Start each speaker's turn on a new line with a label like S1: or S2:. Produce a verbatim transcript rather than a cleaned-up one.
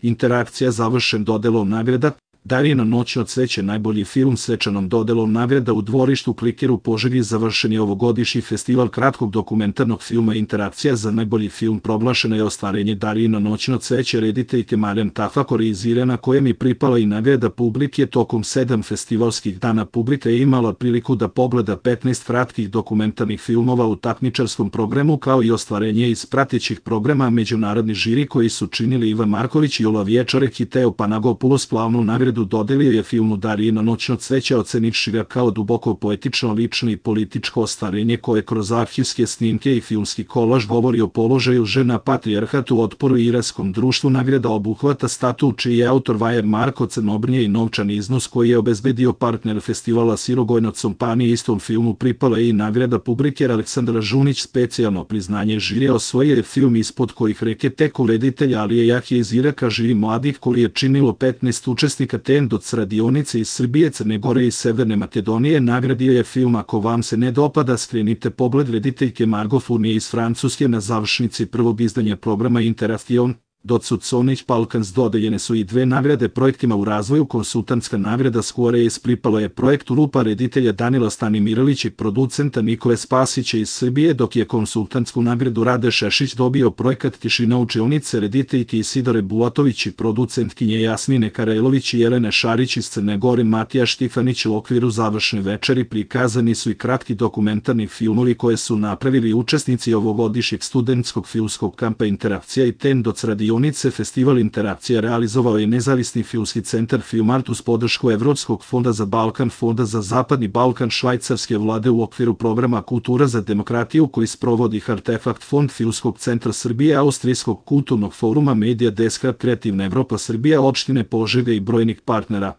S1: Interakcija završen dodelom nagrada. Darijino noćno cveće najbolji film svečanom dodelom nagrada u dvorištu Kliker u Požegi završen je ovogodišnji festival kratkog dokumentarnog filma Interakcija za najbolji film proglašeno je ostvarenje Darijino noćno cveće rediteljke Marijan Tafakor iz Irana kojem je pripala i nagrada publike tokom sedam festivalskih dana. Publika je imala priliku da pogleda petnaest kratkih dokumentarnih filmova u takmičarskom programu kao i ostvarenje iz pratećih programa međunarodni žiri koji su činili Ivan Marković i Jola Vječarek i Teo Panagopoulos. Glavnu nagradu dodelio je filmu Darijino noćno cveće ocenivši ga kao duboko poetično, lično i političko ostvarenje koje kroz arhivske snimke i filmski kolaž govori o položaju žena, patrijarhatu, otporu i iranskom društvu. Nagrada obuhvata statut čiji je autor Vajer Marko Crnobrnje i novčani iznos koji je obezbedio partner festivala Sirogojno Compani. Istom filmu pripala je i nagrada publike. Aleksandra Žunić specijalno priznanje žirija osvojio je film Ispod kojih reke teku reditelja Alije Jahje iz Iraka živi mladih koji je činilo petnaest učesnika Tendoc radionice iz Srbije, Crne Gore i Severne Makedonije. Nagradio je film Ako vam se ne dopada skrenite pogled rediteljke Margo Fournier iz Francuske. Na završnici prvog izdanja programa Interaktion Docud Sonić Balkans dodeljene su i dve nagrade projektima u razvoju. Konsultantska nagrada Squareace pripalo je projektu Lupa reditelja Danila Stanimiralić i producenta Nikole Spasića iz Srbije, dok je konsultantsku nagradu Rade Šešić dobio projekat Tišina učionice rediteljke Isidore Bulatović i producentkinje Jasmine Karajlović i Jelene Šarić iz Crne Gore. Matija Štifanić. U okviru završne večeri prikazani su i kratki dokumentarni filmovi koje su napravili učesnici ovogodišnjeg studentskog filmskog kampa Interakcija i Tendoc radionice. Festival Interakcija realizovao je nezavisni filmski centar Filmart uz podršku Evropskog fonda za Balkan, Fonda za Zapadni Balkan, švajcarske vlade u okviru programa Kultura za demokratiju koji sprovodi Artefakt fond Filmskog centra Srbije, Austrijskog kulturnog foruma, Media Deska, Kreativna Evropa Srbija, opštine Požega i brojnih partnera.